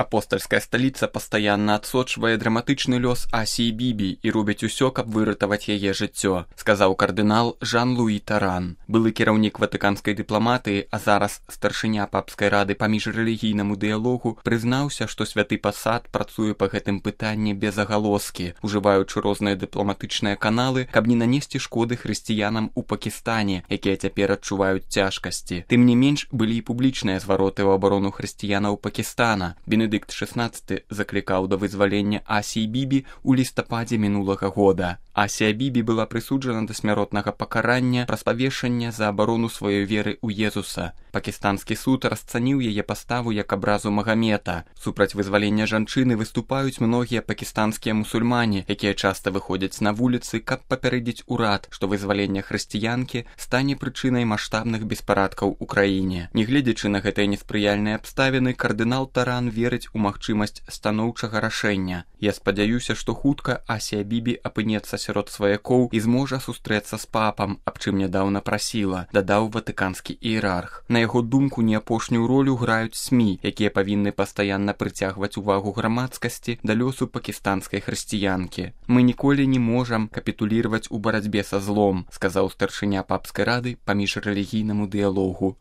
Апостальская сталіца пастаянна адсочвае драматычны лёс Асіі Бібі і робіць усё, каб выратаваць яе жыццё, сказаў кардынал Жан-Луі Таран. Былы кіраўнік ватыканскай дыпламатыі, а зараз старшыня папскай рады па міжрэлігійнаму дыялогу, прызнаўся, што святы пасад працуе па гэтым пытанні без агалоскі, ужываючы розныя дыпламатычныя каналы, каб не нанесці шкоды хрысціянам у Пакістане, якія цяпер адчуваюць цяжкасці. Тым не менш, былі і публічныя звароты ў абарону хрысціянаў Пакістана. Бенедыкт XVI заклікаў да вызвалення Асіі Бібі ў лістападзе мінулага года. Асія Бібі была прысуджана да смяротнага пакарання праз павешанне за абарону сваёй веры ў Езуса. Пакістанскі суд расцаніў яе паставу як абразу Магамета. Супраць вызвалення жанчыны выступаюць многія пакістанскія мусульмане, якія часта выходзяць на вуліцы, каб папярэдзіць урад, што вызвалення хрысціянкі стане прычынай маштабных беспарадкаў у краіне. Нягледзячы на гэтыя неспрыяльныя абставіны, кардынал Таран верыць у магчымасць станоўчага рашэння. Я спадзяюся, што хутка Асія Бібі апынецца сярод сваякоў і зможа сустрэцца з папам, аб чым нядаўна прасіла, дадаў ватыканскі іерарх. На яго думку, не апошнюю ролю граюць СМІ, якія павінны пастаянна прыцягваць увагу грамадскасці да лёсу пакістанскай хрысціянкі. Мы ніколі не можам капітуліраваць у барацьбе са злом, сказаў старшыня папскай рады па міжрэлігійнаму дыялогу.